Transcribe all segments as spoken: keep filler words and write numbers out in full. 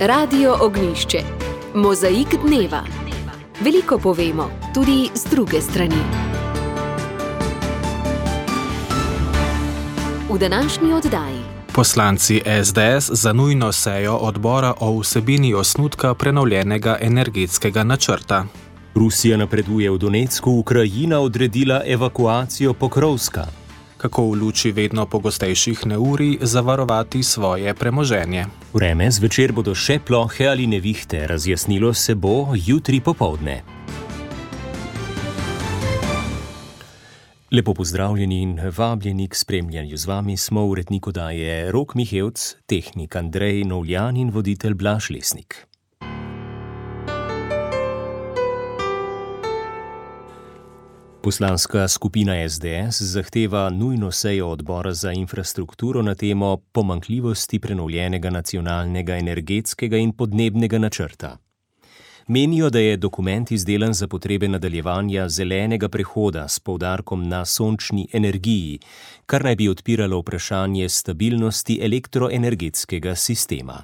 Radio Ognjišče. Mozaik dneva. Veliko povemo, tudi z druge strani. V današnji oddaji. Poslanci es de es za nujno sejo odbora o vsebini osnutka prenovljenega energetskega načrta. Rusija napreduje v Donecku, Ukrajina odredila evakuacijo Pokrovska. Kako v luči vedno pogostejših neurij zavarovati svoje premoženje. Vreme, zvečer bodo še plohe ali nevihte, razjasnilo se bo jutri popoldne. Lepo pozdravljeni in vabljeni k spremljanju. Z vami smo urednik oddaje Rok Mihevc, tehnik Andrej Novljan in voditelj Blaž Lesnik. Poslanska skupina es de es zahteva nujno sejo odbora za infrastrukturo na temo pomanjkljivosti prenovljenega nacionalnega energetskega in podnebnega načrta. Menijo, da je dokument izdelan za potrebe nadaljevanja zelenega prehoda s poudarkom na sončni energiji, kar naj bi odpiralo vprašanje stabilnosti elektroenergetskega sistema.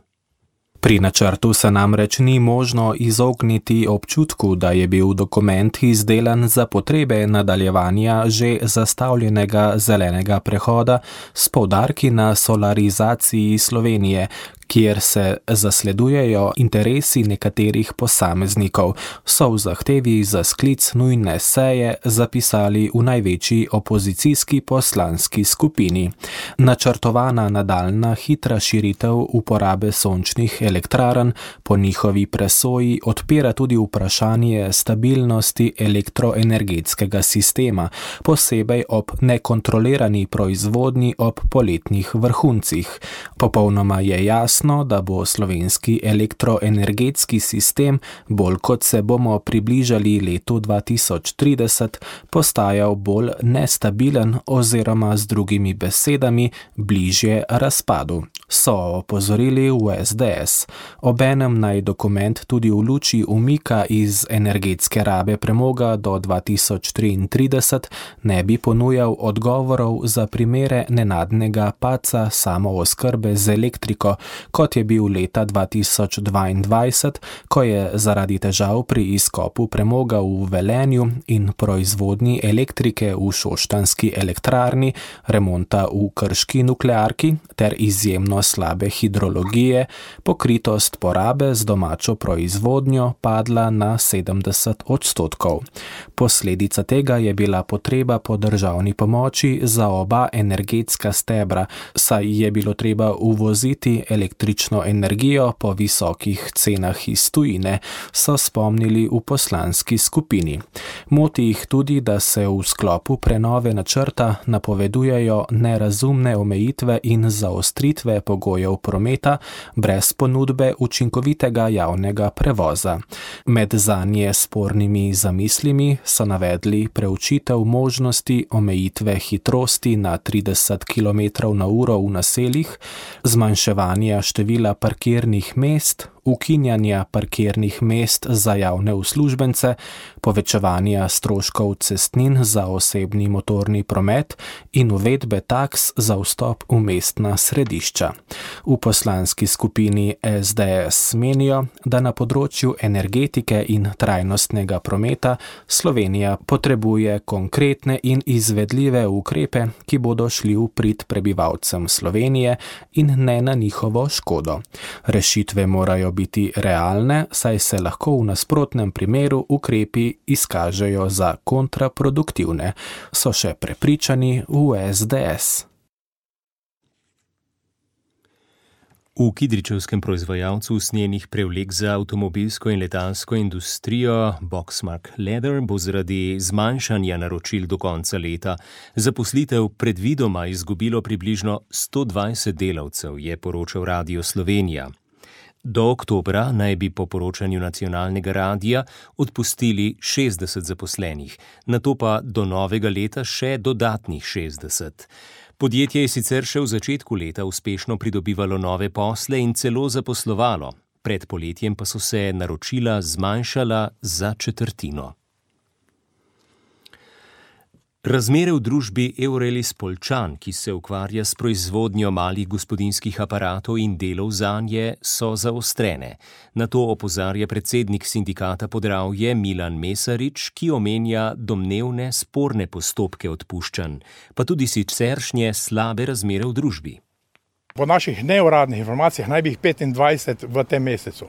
Pri načrtu se namreč ni možno izogniti občutku, da je bil dokument izdelan za potrebe nadaljevanja že zastavljenega zelenega prehoda s poudarki na solarizaciji Slovenije, kjer se zasledujejo interesi nekaterih posameznikov, so v zahtevi za sklic nujne seje zapisali v največji opozicijski poslanski skupini. Načrtovana nadaljnja hitra širitev uporabe sončnih elektrarn po njihovi presoji odpira tudi vprašanje stabilnosti elektroenergetskega sistema, posebej ob nekontrolirani proizvodnji ob poletnih vrhuncih. Popolnoma je jasno, da bo slovenski elektroenergetski sistem, bolj kot se bomo približali letu dva tisoč trideset, postajal bolj nestabilen oziroma z drugimi besedami bližje razpadu, so opozorili v es de es. Obenem naj dokument tudi v luči umika iz energetske rabe premoga do dva tisoč triintrideset ne bi ponujal odgovorov za primere nenadnega padca samooskrbe z elektriko, kot je bil leta dva tisoč dvaindvajset, ko je zaradi težav pri izkopu premoga v Velenju in proizvodnji elektrike v šoštanjski elektrarni, remonta v krški nuklearki ter izjemno slabe hidrologije, pokritost porabe z domačo proizvodnjo padla na sedemdeset odstotkov. Posledica tega je bila potreba po državni pomoči za oba energetska stebra, saj je bilo treba uvoziti električno energijo po visokih cenah iz tujine, so spomnili v poslanski skupini. Moti jih tudi, da se v sklopu prenove načrta napovedujejo nerazumne omejitve in zaostritve pogojev prometa brez ponudbe učinkovitega javnega prevoza. Med zanje spornimi zamislimi so navedli preučitev možnosti omejitve hitrosti na trideset kilometrov na uro v naseljih, zmanjševanja števila parkirnih mest, ukinjanja parkirnih mest za javne uslužbence, povečevanja stroškov cestnin za osebni motorni promet in uvedbe taks za vstop v mestna središča. V poslanski skupini es de es menijo, da na področju energetike in trajnostnega prometa Slovenija potrebuje konkretne in izvedljive ukrepe, ki bodo šli v prid prebivalcem Slovenije in ne na njihovo škodo. Rešitve morajo biti realne, saj se lahko v nasprotnem primeru ukrepi izkažejo za kontraproduktivne, so še prepričani v es de es. V kidričevskem proizvajalcu usnjenih prevlek za avtomobilsko in letalsko industrijo Boxmark Leather bo zaradi zmanjšanja naročil do konca leta zaposlitev predvidoma izgubilo približno sto dvajset delavcev, je poročal Radio Slovenija. Do oktobra naj bi po poročanju nacionalnega radia odpustili šestdeset zaposlenih, nato pa do novega leta še dodatnih šestdeset. Podjetje je sicer še v začetku leta uspešno pridobivalo nove posle in celo zaposlovalo, pred poletjem pa so se naročila zmanjšala za četrtino. Razmere v družbi Eurelis Poljčan, ki se ukvarja s proizvodnjo malih gospodinjskih aparatov in delov zanje, so zaostrene. Na to opozarja predsednik sindikata Podravje Milan Mesarič, ki omenja domnevne sporne postopke odpuščanj, pa tudi siceršnje slabe razmere v družbi. Po naših neuradnih informacijah naj bi jih petindvajset v tem mesecu.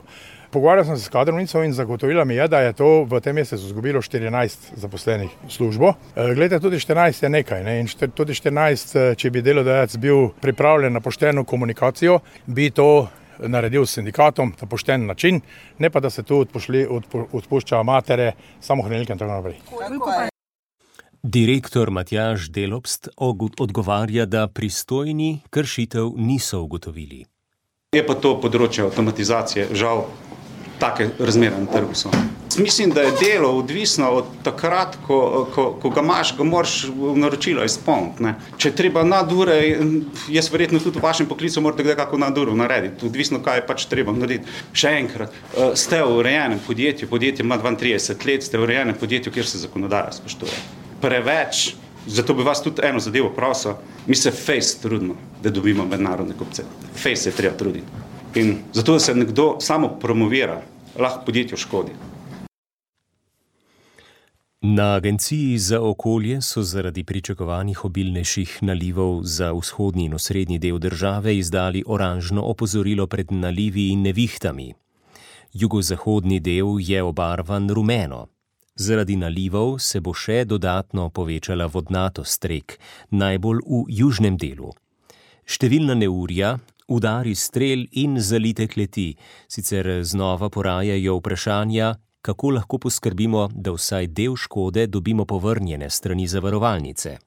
Pogovarjal sem se s kadrovnico in zagotovila mi je, da je to v tem mesecu izgubilo štirinajst zaposlenih službo. Glede, tudi štirinajst je nekaj, ne? In tudi štirinajst, če bi delodajalec bil pripravljen na pošteno komunikacijo, bi to naredil s sindikatom na pošten način, ne pa da se tu odpošli, odpu, odpušča matere, samohranilke in tako naprej. Direktor Matjaž Delopst odgovarja, da pristojni kršitev niso ugotovili. Je pa to področje avtomatizacije, žal, take razmere na trgu so. Mislim, da je delo odvisno od takrat, ko, ko, ko ga imaš, ga moraš naročilo izpolniti, ne. Če treba nadure, jaz verjetno tudi v vašem poklicu morate kdaj kako naduro narediti, odvisno kaj je pač treba narediti. Še enkrat, ste v urejenem podjetju, podjetje ima dvaintrideset let, ste v urejenem podjetju, kjer se zakonodaja spoštuje. Preveč, zato bi vas tudi eno zadevo prosil, mi se fejs trudimo, da dobimo mednarodne kupce. Fejs je treba truditi. In zato, da se nekdo samo promovira, lahko podjetju škodi. Na Agenciji za okolje so zaradi pričakovanih obilnejših nalivov za vzhodni in osrednji del države izdali oranžno opozorilo pred nalivi in nevihtami. Jugozahodni del je obarvan rumeno. Zaradi nalivov se bo še dodatno povečala vodnatost rek, najbolj v južnem delu. Številna neurja, udari strel in zalite kleti, sicer znova porajajo vprašanja, kako lahko poskrbimo, da vsaj del škode dobimo povrnjene strani zavarovalnice.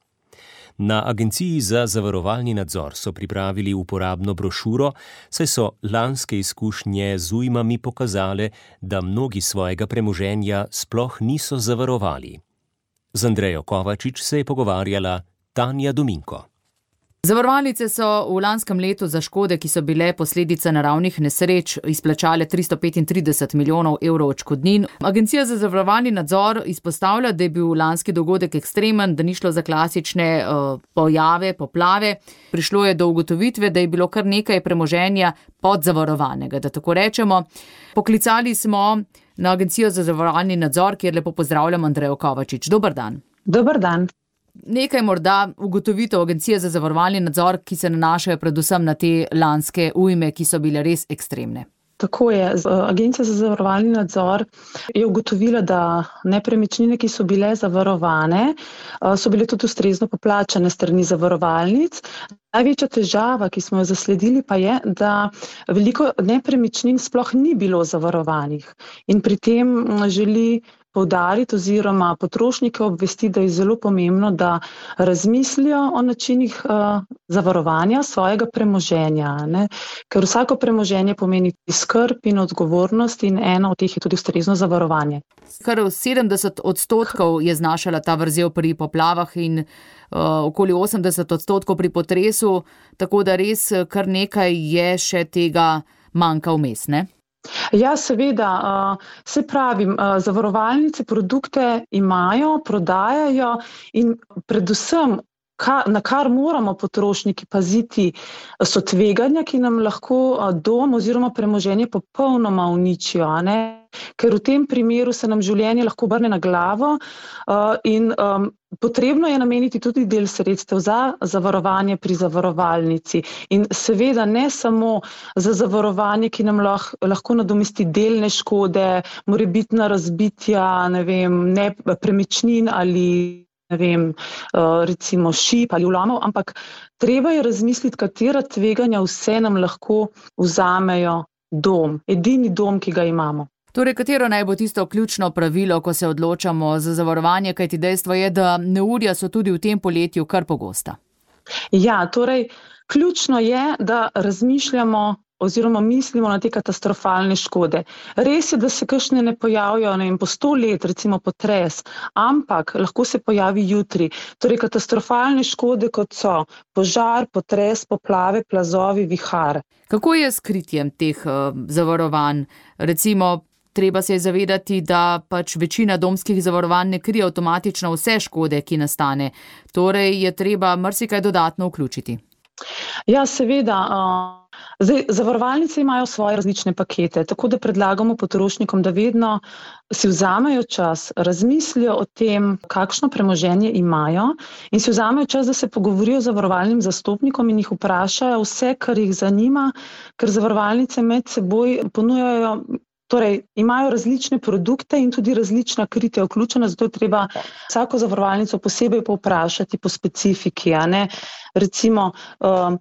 Na Agenciji za zavarovalni nadzor so pripravili uporabno brošuro, saj so lanske izkušnje z ujmami pokazale, da mnogi svojega premoženja sploh niso zavarovali. Z Andrejo Kovačič se je pogovarjala Tanja Dominko. Zavarovalnice so v lanskem letu za škode, ki so bile posledica naravnih nesreč, izplačale tristo petintrideset milijonov evrov odškodnin. Agencija za zavarovalni nadzor izpostavlja, da je bil lanski dogodek ekstremen, da ni šlo za klasične uh, pojave, poplave. Prišlo je do ugotovitve, da je bilo kar nekaj premoženja podzavarovanega, da tako rečemo. Poklicali smo na Agencijo za zavarovalni nadzor, kjer lepo pozdravljam Andrejo Kovačič. Dober dan. Dober dan. Nekaj morda ugotovitev Agencije za zavarovalni nadzor, ki se nanašajo predvsem na te lanske ujme, ki so bile res ekstremne. Tako je. Agencija za zavarovalni nadzor je ugotovila, da nepremičnine, ki so bile zavarovane, so bile tudi ustrezno poplačane strani zavarovalnic. Največja težava, ki smo jo zasledili, pa je, da veliko nepremičnin sploh ni bilo zavarovanih. In pri tem želi poudariti oziroma potrošnike obvesti, da je zelo pomembno, da razmislijo o načinih uh, zavarovanja svojega premoženja, ne? Ker vsako premoženje pomeni skrb in odgovornost in eno od teh je tudi ustrezno zavarovanje. Kar sedemdeset odstotkov je znašala ta vrzel pri poplavah in uh, okoli osemdeset odstotkov pri potresu, tako da res kar nekaj je še tega manjka vmes, ne? Ja, seveda, se pravi, zavarovalnice produkte imajo, prodajajo in predvsem, na kar moramo potrošniki paziti, so tveganja, ki nam lahko dom oziroma premoženje popolnoma uničijo, ne? Ker v tem primeru se nam življenje lahko obrne na glavo in potrebno je nameniti tudi del sredstev za zavarovanje pri zavarovalnici in seveda ne samo za zavarovanje, ki nam lahko, lahko nadomesti delne škode, morebitna razbitja, ne vem, nepremičnin ali ne vem, recimo šip ali vlomov, ampak treba je razmisliti, katera tveganja vse nam lahko vzamejo dom, edini dom, ki ga imamo. Torej, katero naj bo tisto ključno pravilo, ko se odločamo za zavarovanje, kajti dejstvo je, da neurja so tudi v tem poletju kar pogosta? Ja, torej, ključno je, da razmišljamo oziroma mislimo na te katastrofalne škode. Res je, da se kakšne ne pojavijo, ne vem, po sto let, recimo potres, ampak lahko se pojavi jutri. Torej, katastrofalne škode, kot so požar, potres, poplave, plazovi, vihar. Kako je s kritjem teh uh, zavarovanj? Recimo, treba se je zavedati, da pač večina domskih zavarovanj ne krije avtomatično vse škode, ki nastane. Torej je treba marsikaj dodatno vključiti. Ja, seveda. Zdaj, zavarovalnice imajo svoje različne pakete, tako da predlagamo potrošnikom, da vedno si vzamejo čas, razmislijo o tem, kakšno premoženje imajo in si vzamejo čas, da se pogovorijo z zavarovalnim zastopnikom in jih vprašajo vse, kar jih zanima, ker zavarovalnice med seboj ponujajo, torej imajo različne produkte in tudi različna kritja vključena, zato je treba vsako zavarovalnico posebej povprašati po specifiki, a ne? Recimo, um,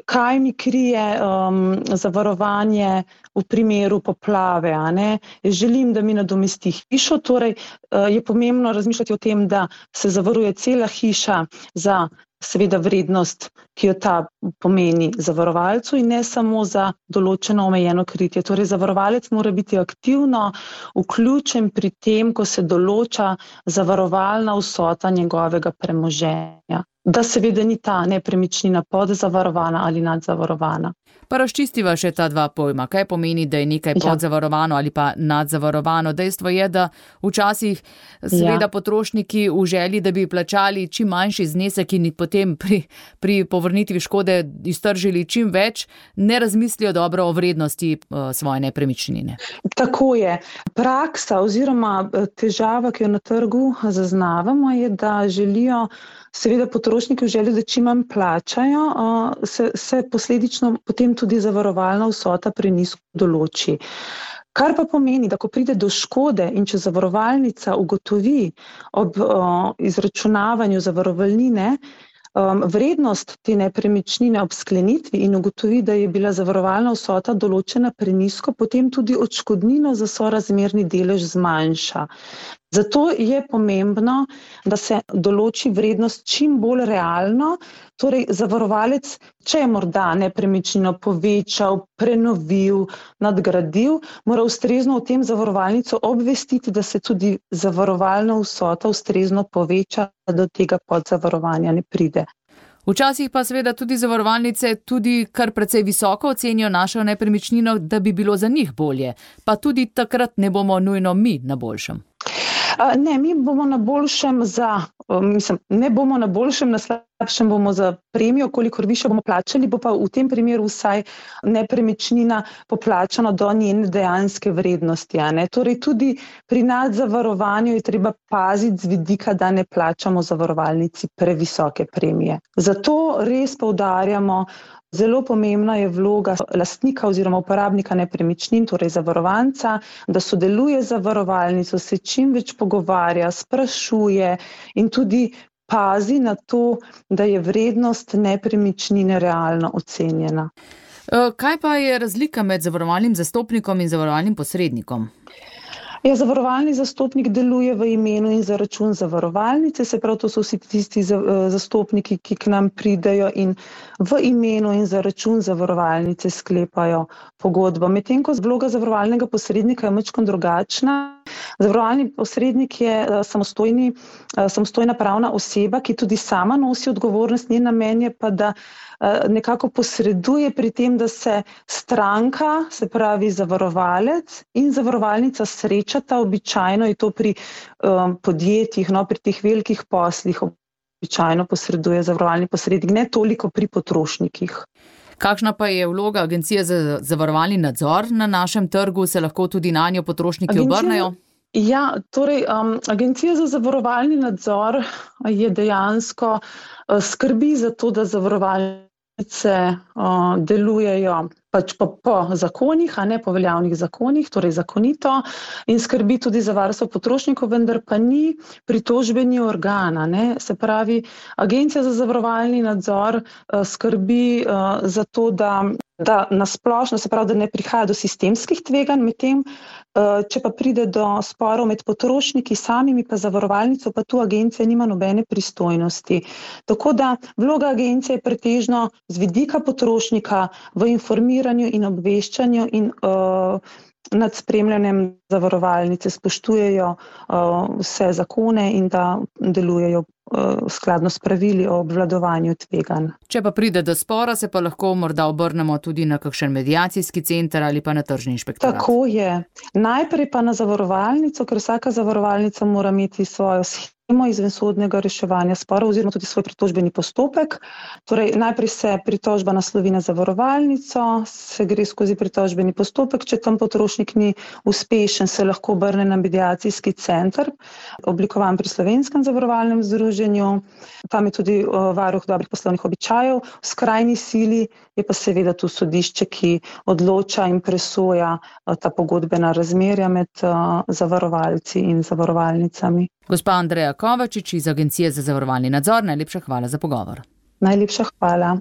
kaj mi krije um, zavarovanje v primeru poplave, a ne? Želim, da mi nadomesti hišo, torej uh, je pomembno razmišljati o tem, da se zavaruje cela hiša za seveda vrednost, ki jo ta pomeni zavarovalcu in ne samo za določeno omejeno kritje. Torej, zavarovalec mora biti aktivno vključen pri tem, ko se določa zavarovalna vsota njegovega premoženja. Da seveda ni ta nepremičnina podzavarovana ali nadzavarovana. Pa razčistiva še ta dva pojma. Kaj pomeni, da je nekaj podzavarovano ali pa nadzavarovano? Dejstvo je, da včasih seveda ja. potrošniki v želji, da bi plačali čim manjši znesek in potem pri, pri povrnitvi škode iztržili čim več, ne razmislijo dobro o vrednosti uh, svoje nepremičnine. Tako je. Praksa oziroma težava, ki jo na trgu zaznavamo, je, da želijo seveda potrošniki v želji, da čim manj plačajo, se, se posledično potem tudi zavarovalna vsota prenizko določi. Kar pa pomeni, da ko pride do škode in če zavarovalnica ugotovi ob o, izračunavanju zavarovalnine um, vrednost te nepremičnine ob sklenitvi in ugotovi, da je bila zavarovalna vsota določena prenizko, potem tudi odškodnino za sorazmerni delež zmanjša. Zato je pomembno, da se določi vrednost čim bolj realno, torej zavarovalec, če je morda nepremičnino povečal, prenovil, nadgradil, mora ustrezno o tem zavarovalnico obvestiti, da se tudi zavarovalna vsota ustrezno poveča, da do tega podzavarovanja ne pride. Včasih pa seveda tudi zavarovalnice tudi kar precej visoko ocenijo našo nepremičnino, da bi bilo za njih bolje, pa tudi takrat ne bomo nujno mi na boljšem. Ne, mi bomo na boljšem za, mislim, ne bomo na boljšem, na slabšem bomo za premijo, kolikor više bomo plačali, bo pa v tem primeru vsaj nepremičnina poplačana do njene dejanske vrednosti. A ne? Torej tudi pri nadzavarovanju je treba paziti z vidika, da ne plačamo zavarovalnici previsoke premije. Zato res poudarjamo, zelo pomembna je vloga lastnika oziroma uporabnika nepremičnin, torej zavarovanca, da sodeluje z zavarovalnico, se čim več pogovarja, sprašuje in tudi pazi na to, da je vrednost nepremičnine realno ocenjena. Kaj pa je razlika med zavarovalnim zastopnikom in zavarovalnim posrednikom? Ja, zavarovalni zastopnik deluje v imenu in za račun zavarovalnice, se prav to so vsi tisti zastopniki, ki k nam pridejo in v imenu in za račun zavarovalnice sklepajo pogodbo. Medtem ko vloga zavarovalnega posrednika je majčkeno drugačna. Zavarovalni posrednik je samostojni, samostojna pravna oseba, ki tudi sama nosi odgovornost, njen namen je pa, da nekako posreduje pri tem, da se stranka, se pravi zavarovalec in zavarovalnica srečata, običajno je to pri um, podjetjih, no, pri teh velikih poslih, običajno posreduje zavarovalni posrednik, ne toliko pri potrošnikih. Kakšna pa je vloga Agencije za zavarovalni nadzor na našem trgu, se lahko tudi nanjo potrošniki Agencija... obrnejo? Ja, torej um, Agencija za zavarovalni nadzor je dejansko uh, skrbi za to, da zavarovalnice uh, delujejo pač po, po zakonih, a ne po veljavnih zakonih, torej zakonito, in skrbi tudi za varstvo potrošnikov, vendar pa ni pritožbeni organ, ne? Se pravi, Agencija za zavarovalni nadzor uh, skrbi uh, za to, da da nasplošno, se pravi, da ne prihaja do sistemskih tveganj, medtem, če pa pride do sporov med potrošniki samimi pa zavarovalnico, pa tu agencija nima nobene pristojnosti. Tako da vloga agencije je pretežno z vidika potrošnika v informiranju in obveščanju in uh, nad spremljanjem zavarovalnice, spoštujejo vse zakone in da delujejo skladno s pravili o obvladovanju tveganj. Če pa pride do spora, se pa lahko morda obrnemo tudi na kakšen mediacijski center ali pa na tržni inšpektorat. Tako je. Najprej pa na zavarovalnico, ker vsaka zavarovalnica mora imeti svojo schemo izvensodnega reševanja sporov oziroma tudi svoj pritožbeni postopek. Torej, najprej se pritožba naslovi na zavarovalnico, se gre skozi pritožbeni postopek, če tam potrošnik ni uspešen, se lahko obrne na mediacijski center, oblikovan pri Slovenskem zavarovalnem združenju. Tam je tudi varuh dobrih poslovnih običajev. V skrajni sili je pa seveda tu sodišče, ki odloča in presoja ta pogodbena razmerja med zavarovalci in zavarovalnicami. Gospa Andreja Kovačič iz Agencije za zavarovalni nadzor, najlepša hvala za pogovor. Najlepša hvala.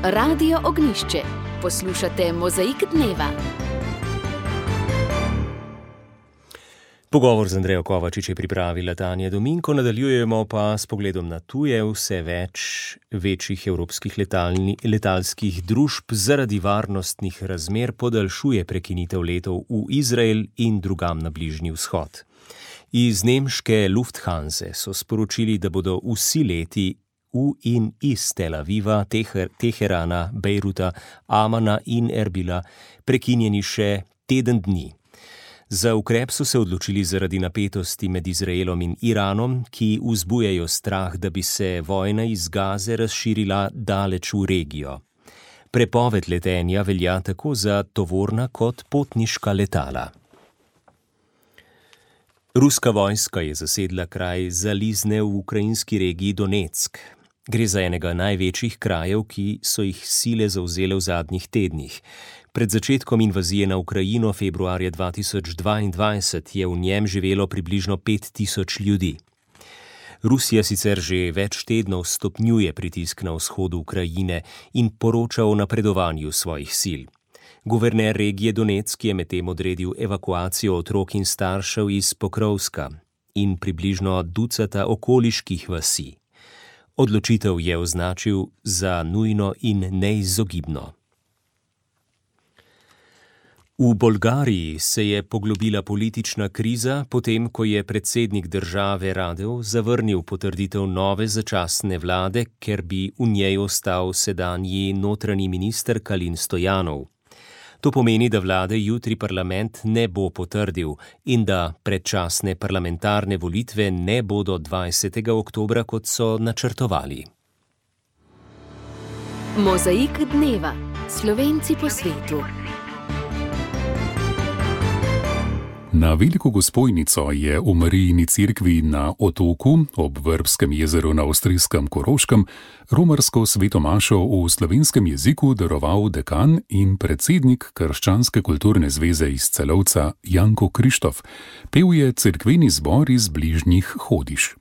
Radio Ognjišče. Poslušate Mozaik dneva. Pogovor z Andrejo Kovačič je pripravila Tanja Dominko, nadaljujemo pa s pogledom na tuje. Vse več večjih evropskih letalni, letalskih družb zaradi varnostnih razmer podaljšuje prekinitev letov v Izrael in drugam na Bližnji vzhod. Iz nemške Lufthanse so sporočili, da bodo vsi leti v in iz Tel Aviva, Teher, Teherana, Bejruta, Amana in Erbila prekinjeni še teden dni. Za ukrep so se odločili zaradi napetosti med Izraelom in Iranom, ki vzbujajo strah, da bi se vojna iz Gaze razširila daleč v regijo. Prepoved letenja velja tako za tovorna kot potniška letala. Ruska vojska je zasedla kraj Zalizne v ukrajinski regiji Donetsk. Gre za enega največjih krajev, ki so jih sile zavzele v zadnjih tednih. Pred začetkom invazije na Ukrajino februarja dva tisoč dvaindvajset je v njem živelo približno pet tisoč ljudi. Rusija sicer že več tednov stopnjuje pritisk na vzhodu Ukrajine in poroča o napredovanju svojih sil. Guverner regije Donetsk je medtem odredil evakuacijo otrok in staršev iz Pokrovska in približno ducata okoliških vasi. Odločitev je označil za nujno in neizogibno. V Bolgariji se je poglobila politična kriza, potem ko je predsednik države Radev zavrnil potrditev nove začasne vlade, ker bi v njej ostal sedanji notranji minister Kalin Stojanov. To pomeni, da vlade jutri parlament ne bo potrdil in da predčasne parlamentarne volitve ne bodo dvajsetega oktobra, kot so načrtovali. Mozaik dneva. Slovenci po svetu. Na Veliko Gospojnico je v Marijini cerkvi na Otoku ob Vrbskem jezeru na avstrijskem Koroškem romarsko svetomašo v slovenskem jeziku daroval dekan in predsednik Krščanske kulturne zveze iz Celovca Janko Krištof. Pel je cerkveni zbor iz bližnjih Hodiš.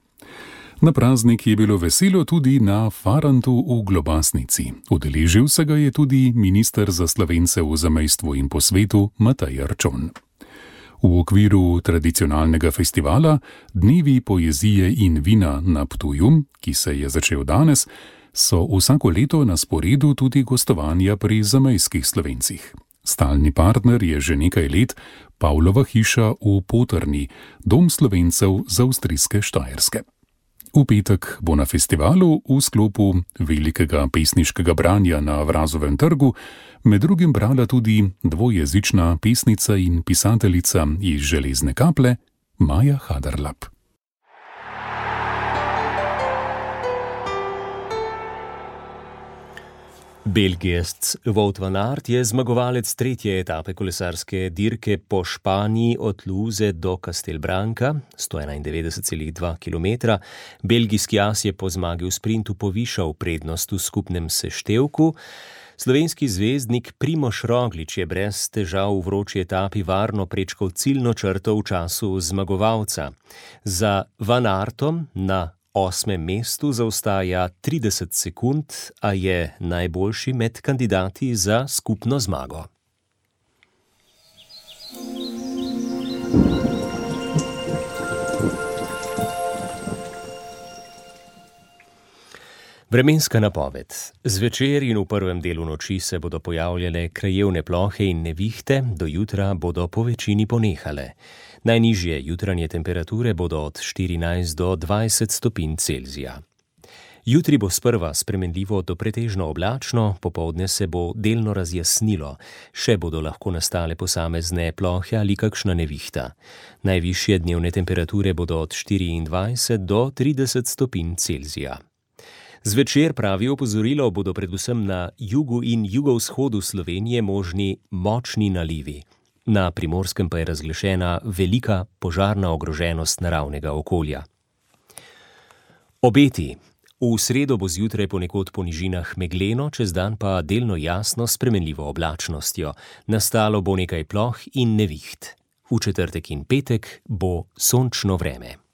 Na praznik je bilo veselo tudi na Farantu v Globasnici. Udeležil se ga je tudi minister za Slovence v zamejstvu in po svetu Matej Arčon. V okviru tradicionalnega festivala Dnevi poezije in vina na Ptuju, ki se je začel danes, so vsako leto na sporedu tudi gostovanja pri zamejskih Slovencih. Stalni partner je že nekaj let Pavlova hiša v Potrni, dom Slovencev z avstrijske Štajerske. V petek bo na festivalu v sklopu velikega pesniškega branja na Vrazovem trgu med drugim brala tudi dvojezična pesnica in pisateljica iz Železne Kaple Maja Haderlap. Belgijec Wout van Aert je zmagovalec tretje etape kolesarske dirke po Španiji od Luze do Castelbranca, sto enaindevetdeset celih dva kilometra. Belgijski as je po zmagi v sprintu povišal prednost v skupnem seštevku. Slovenski zvezdnik Primož Roglič je brez težav v vroči etapi varno prečkal ciljno črto v času zmagovalca. Za Van Aertom na osmem mestu zaostaja trideset sekund, a je najboljši med kandidati za skupno zmago. Vremenska napoved. Zvečer in v prvem delu noči se bodo pojavljale krajevne plohe in nevihte, do jutra bodo po večini ponehale. Najnižje jutranje temperature bodo od štirinajst do dvajset stopinj Celzija. Jutri bo sprva spremenljivo do pretežno oblačno, popoldne se bo delno razjasnilo, še bodo lahko nastale posamezne plohe ali kakšna nevihta. Najvišje dnevne temperature bodo od štiriindvajset do trideset stopinj Celzija. Zvečer, pravi opozorilo, bodo predvsem na jugu in jugovzhodu Slovenije možni močni nalivi. Na Primorskem pa je razglašena velika požarna ogroženost naravnega okolja. Obeti. V sredo bo zjutraj ponekod po nižinah megleno, čez dan pa delno jasno s spremenljivo oblačnostjo. Nastalo bo nekaj ploh in neviht. V četrtek in petek bo sončno vreme.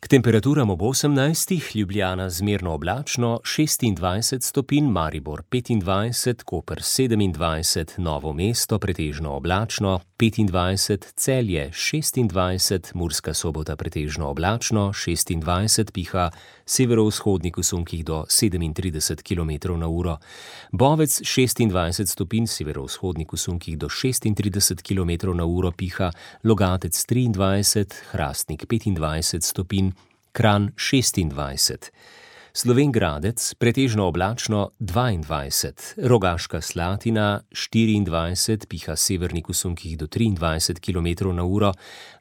K temperaturam ob osemnajstih, Ljubljana zmerno oblačno, šestindvajset stopinj, Maribor petindvajset, Koper sedemindvajset, Novo mesto pretežno oblačno, petindvajset, Celje šestindvajset, Murska Sobota pretežno oblačno, šestindvajset, piha severovzhodnik v sunkih do sedemintrideset kilometrov na uro, Bovec šestindvajset stopinj, severovzhodnik v sunkih do šestintrideset kilometrov na uro, piha Logatec triindvajset, Hrastnik petindvajset stopinj, Kranj šestindvajset, Slovenj Gradec pretežno oblačno dvaindvajset, Rogaška Slatina štiriindvajset, piha severnik v sunkih do triindvajset kilometrov na uro,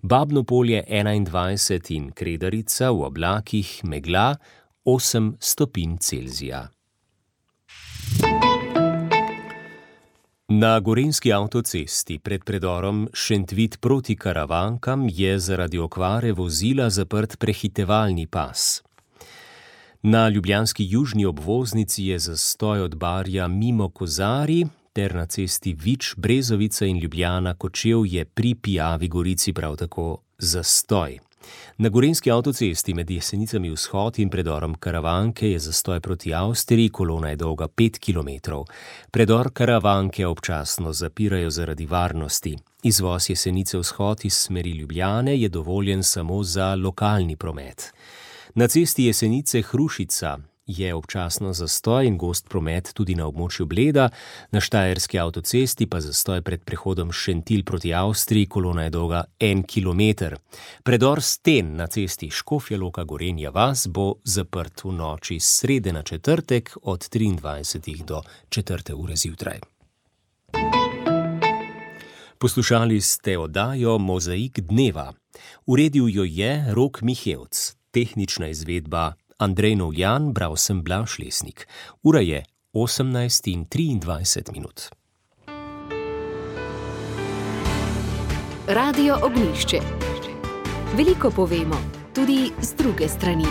Babno Polje enaindvajset in Kredarica v oblakih megla osem stopinj Celzija. Na gorenjski avtocesti pred predorom Šentvid proti Karavankam je zaradi okvare vozila zaprt prehitevalni pas. Na ljubljanski južni obvoznici je zastoj od Barja mimo Kozarij ter na cesti Vič, Brezovica in Ljubljana Kočevje pri Pijavi Gorici prav tako zastoj. Na gorenjski avtocesti med Jesenicami vzhod in predorom Karavanke je zastoj proti Avstriji, kolona je dolga pet kilometrov. Predor Karavanke občasno zapirajo zaradi varnosti. Izvoz Jesenice vzhod iz smeri Ljubljane je dovoljen samo za lokalni promet. Na cesti Jesenice Hrušica je občasno zastoj in gost promet tudi na območju Bleda, na štajerski avtocesti pa zastoj pred prehodom Šentilj proti Avstriji, kolona je dolga en kilometer. Predor Sten na cesti Škofja Loka Gorenja vas bo zaprt v noči s srede na četrtek od triindvajsetih do četrte ure zjutraj. Poslušali ste oddajo Mozaik dneva. Uredil jo je Rok Mihevc, tehnična izvedba Andrej Novjan, bral sem Blaž Lesnik. Ura je osemnajst in triindvajset minut. Radio Ognjišče. Veliko povemo, tudi z druge strani.